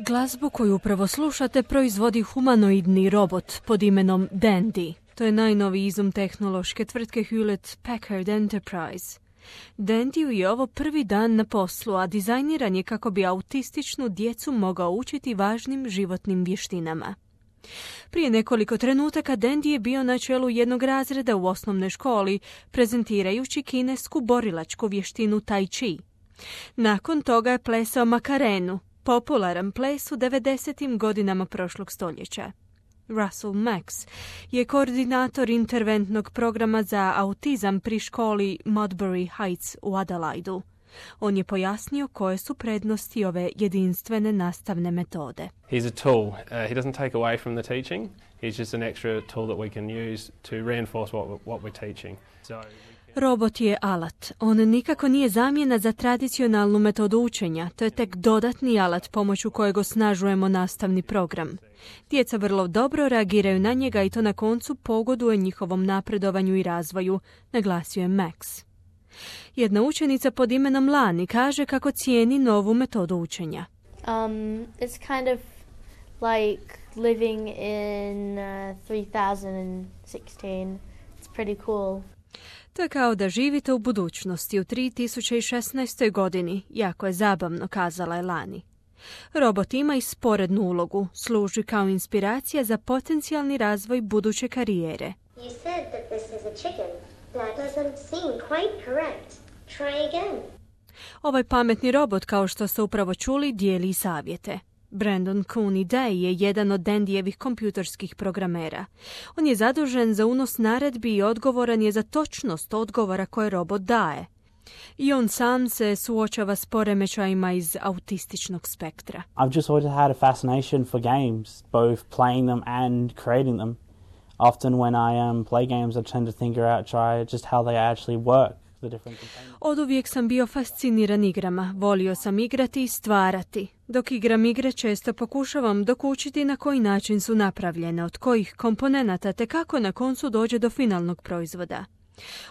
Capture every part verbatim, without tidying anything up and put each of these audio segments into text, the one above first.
Glazbu koju upravo slušate proizvodi humanoidni robot pod imenom Dandy. To je najnoviji izum tehnološke tvrtke Hewlett Packard Enterprise. Dandyu je ovo prvi dan na poslu, a dizajniran je kako bi autističnu djecu mogao učiti važnim životnim vještinama. Prije nekoliko trenutaka Dandy je bio na čelu jednog razreda u osnovnoj školi, prezentirajući kinesku borilačku vještinu Tai Chi. Nakon toga je plesao Makarenu, popularan ples u devedesetim godinama prošlog stoljeća. Russell Max je koordinator interventnog programa za autizam pri školi Modbury Heights u Adelaidu. On je pojasnio koje su prednosti ove jedinstvene nastavne metode. He's a tool. Uh, he doesn't take away from the teaching. He's just an extra tool that we can use to reinforce what, what we're teaching. So Robot je alat. On nikako nije zamjena za tradicionalnu metodu učenja. To je tek dodatni alat pomoću kojeg osnažujemo nastavni program. Djeca vrlo dobro reagiraju na njega i to na koncu pogoduje njihovom napredovanju i razvoju, naglasio je Max. Jedna učenica pod imenom Lani kaže kako cijeni novu metodu učenja. Um, it's kind of like living in uh, three thousand sixteen. It's pretty cool. To je kao da živite u budućnosti u tri tisuće šesnaestoj. godini. Jako je zabavno, kazala je Lani. Robot ima i sporednu ulogu. Služi kao inspiracija za potencijalni razvoj buduće karijere. You said that this is a chicken. That doesn't seem quite correct. Try again. Ovaj pametni robot, kao što ste upravo čuli, dijeli savjete. Brandon Cooney Day je jedan od Dandyjevih kompjuterskih programera. On je zadužen za unos naredbi i odgovoran je za točnost odgovora koje robot daje. I on sam se suočava s poremećajima iz autističnog spektra. I've just always had a fascination for games, both playing them and creating them. Often when I um, play games, I tend to think out, try just how they actually work. Od uvijek sam bio fasciniran igrama. Volio sam igrati i stvarati. Dok igram igre često pokušavam dokučiti na koji način su napravljene, od kojih komponenata te kako na koncu dođe do finalnog proizvoda.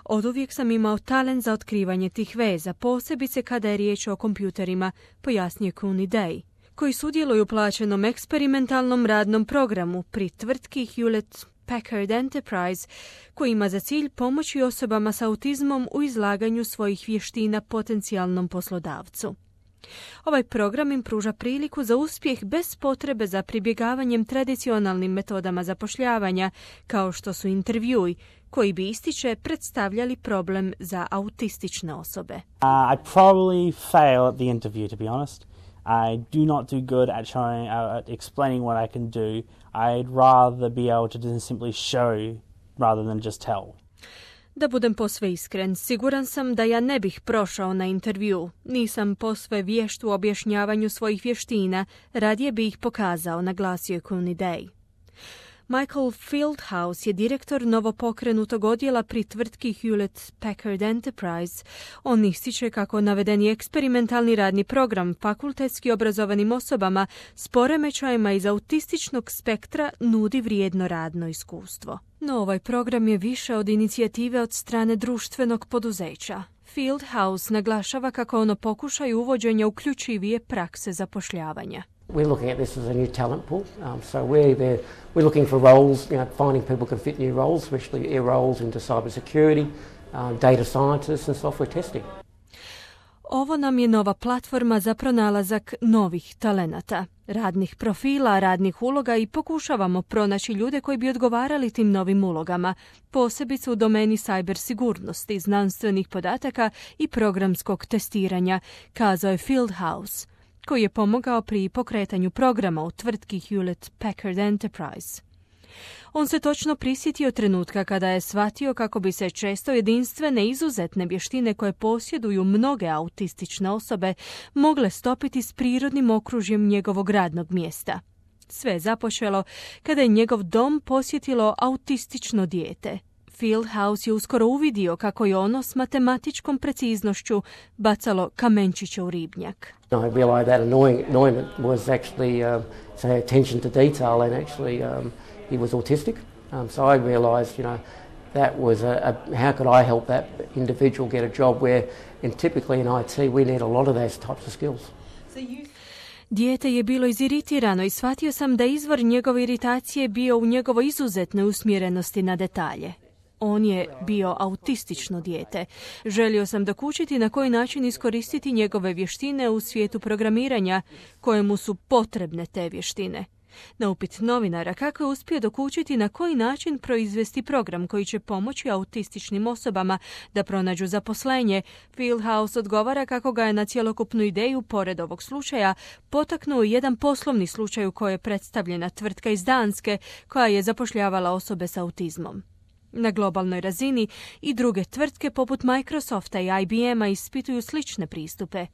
Od uvijek sam imao talent za otkrivanje tih veza, posebice kada je riječ o kompjuterima, pojasnio Cooney Day, koji sudjeluju u plaćenom eksperimentalnom radnom programu pri tvrtki Hewlett Packard Enterprise, koji ima za cilj pomoći osobama s autizmom u izlaganju svojih vještina potencijalnom poslodavcu. Ovaj program im pruža priliku za uspjeh bez potrebe za pribjegavanjem tradicionalnim metodama zapošljavanja, kao što su intervjui, koji bi, ističe, predstavljali problem za autistične osobe. Uh, I probably fail at the interview, to be honest. I do not do good at showing, uh, at explaining what I can do. I'd rather be able to just simply show rather than just tell. Da budem posve iskren, siguran sam da ja ne bih prošao na intervju. Nisam posve vješt u objašnjavanju svojih vještina, radije bi ih pokazao, naglasio je Cooney Day. Michael Fieldhouse je direktor novopokrenutog odjela pri tvrtki Hewlett Packard Enterprise. On ističe kako navedeni eksperimentalni radni program fakultetski obrazovanim osobama s poremećajima iz autističnog spektra nudi vrijedno radno iskustvo. No ovaj program je više od inicijative od strane društvenog poduzeća. Fieldhouse naglašava kako ono pokušaju uvođenja uključivije prakse zapošljavanja. We're looking at this as a new talent pool. Um, so we're there, we're looking for roles, you know, finding people can fit new roles, especially air roles into cybersecurity, um, data scientists and software testing. Ovo nam je nova platforma za pronalazak novih talenata, radnih profila, radnih uloga i pokušavamo pronaći ljude koji bi odgovarali tim novim ulogama, posebice u domeni cyber sigurnosti, znanstvenih podataka i programskog testiranja, kazao je Fieldhouse, koji je pomogao pri pokretanju programa u tvrtki Hewlett Packard Enterprise. On se točno prisjetio trenutka kada je shvatio kako bi se često jedinstvene izuzetne vještine koje posjeduju mnoge autistične osobe mogle stopiti s prirodnim okružjem njegovog radnog mjesta. Sve je započelo kada je njegov dom posjetilo autistično dijete. Fieldhouse je uskoro uvidio kako je ono s matematičkom preciznošću bacalo kamenčiće u ribnjak. I realized that annoying, annoyment was actually uh, say attention to detail, and actually um, he was autistic. Um, so I realized, you know, that was a, a how could I help that individual get a job where, in typically in I T, we need a lot of those types of skills. So you... Dijete je bilo iziritirano i shvatio sam da izvor njegove iritacije bio u njegovoj izuzetnoj usmjerenosti na detalje. On je bio autistično dijete. Želio sam dokučiti na koji način iskoristiti njegove vještine u svijetu programiranja, kojemu su potrebne te vještine. Na upit novinara kako je uspio dokučiti na koji način proizvesti program koji će pomoći autističnim osobama da pronađu zaposlenje, Fieldhouse odgovara kako ga je na cjelokupnu ideju, pored ovog slučaja, potaknuo jedan poslovni slučaj u kojoj je predstavljena tvrtka iz Danske koja je zapošljavala osobe s autizmom. Na globalnoj razini i druge tvrtke poput Microsofta i I B M-a ispituju slične pristupe.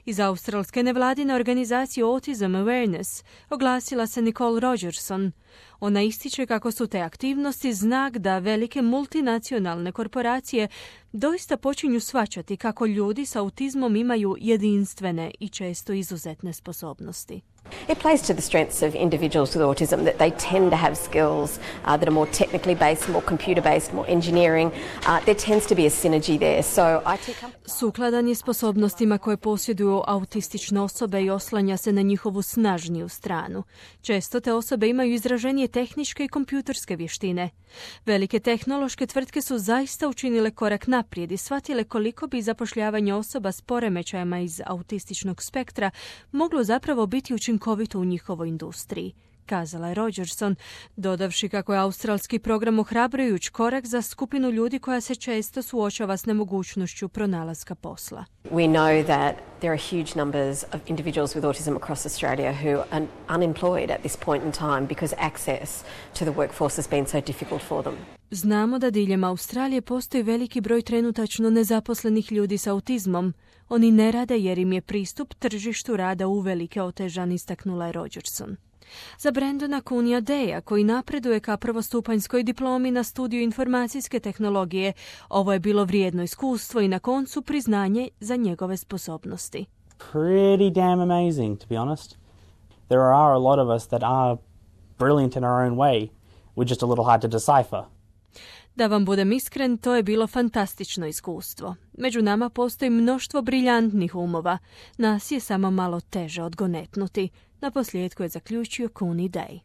Iz australske nevladine organizacije Autism Awareness oglasila se Nicole Rogerson. Ona ističe kako su te aktivnosti znak da velike multinacionalne korporacije doista počinju shvaćati kako ljudi s autizmom imaju jedinstvene i često izuzetne sposobnosti. It plays to the strengths of individuals with autism that they tend to have skills uh, that are more technically based, more computer based, more engineering. Uh, there tends to be a synergy there. So I T companies... Sukladan je sposobnostima koje posjeduju autistične osobe i oslanja se na njihovu snažniju stranu. Često te osobe imaju izraženije tehničke i kompjuterske vještine. Velike tehnološke tvrtke su zaista učinile korak naprijed i shvatile koliko bi zapošljavanje osoba s poremećajima iz autističnog spektra moglo zapravo biti učinkovito u njihovoj industriji, kazala je Rogerson, dodavši kako je australski program ohrabrujuć korak za skupinu ljudi koja se često suočava s nemogućnošću pronalaska posla. We know that there are huge numbers of individuals with autism across Australia who are unemployed at this point in time because access to the workforce has been so difficult for them. Znamo da diljem Australije postoji veliki broj trenutačno nezaposlenih ljudi s autizmom. Oni ne rade jer im je pristup tržištu rada uvelike otežan, istaknula je Rogerson. Za Brandona Kunija Deja, koji napreduje ka prvostupanjskoj diplomi na studiju informacijske tehnologije, ovo je bilo vrijedno iskustvo i na koncu priznanje za njegove sposobnosti. Pretty damn amazing, to be honest. There are a lot of us that are brilliant in our own way. We're just a little hard to decipher. Da vam budem iskren, to je bilo fantastično iskustvo. Među nama postoji mnoštvo briljantnih umova. Nas je samo malo teže odgonetnuti. Na posljedku je zaključio Kuni Day.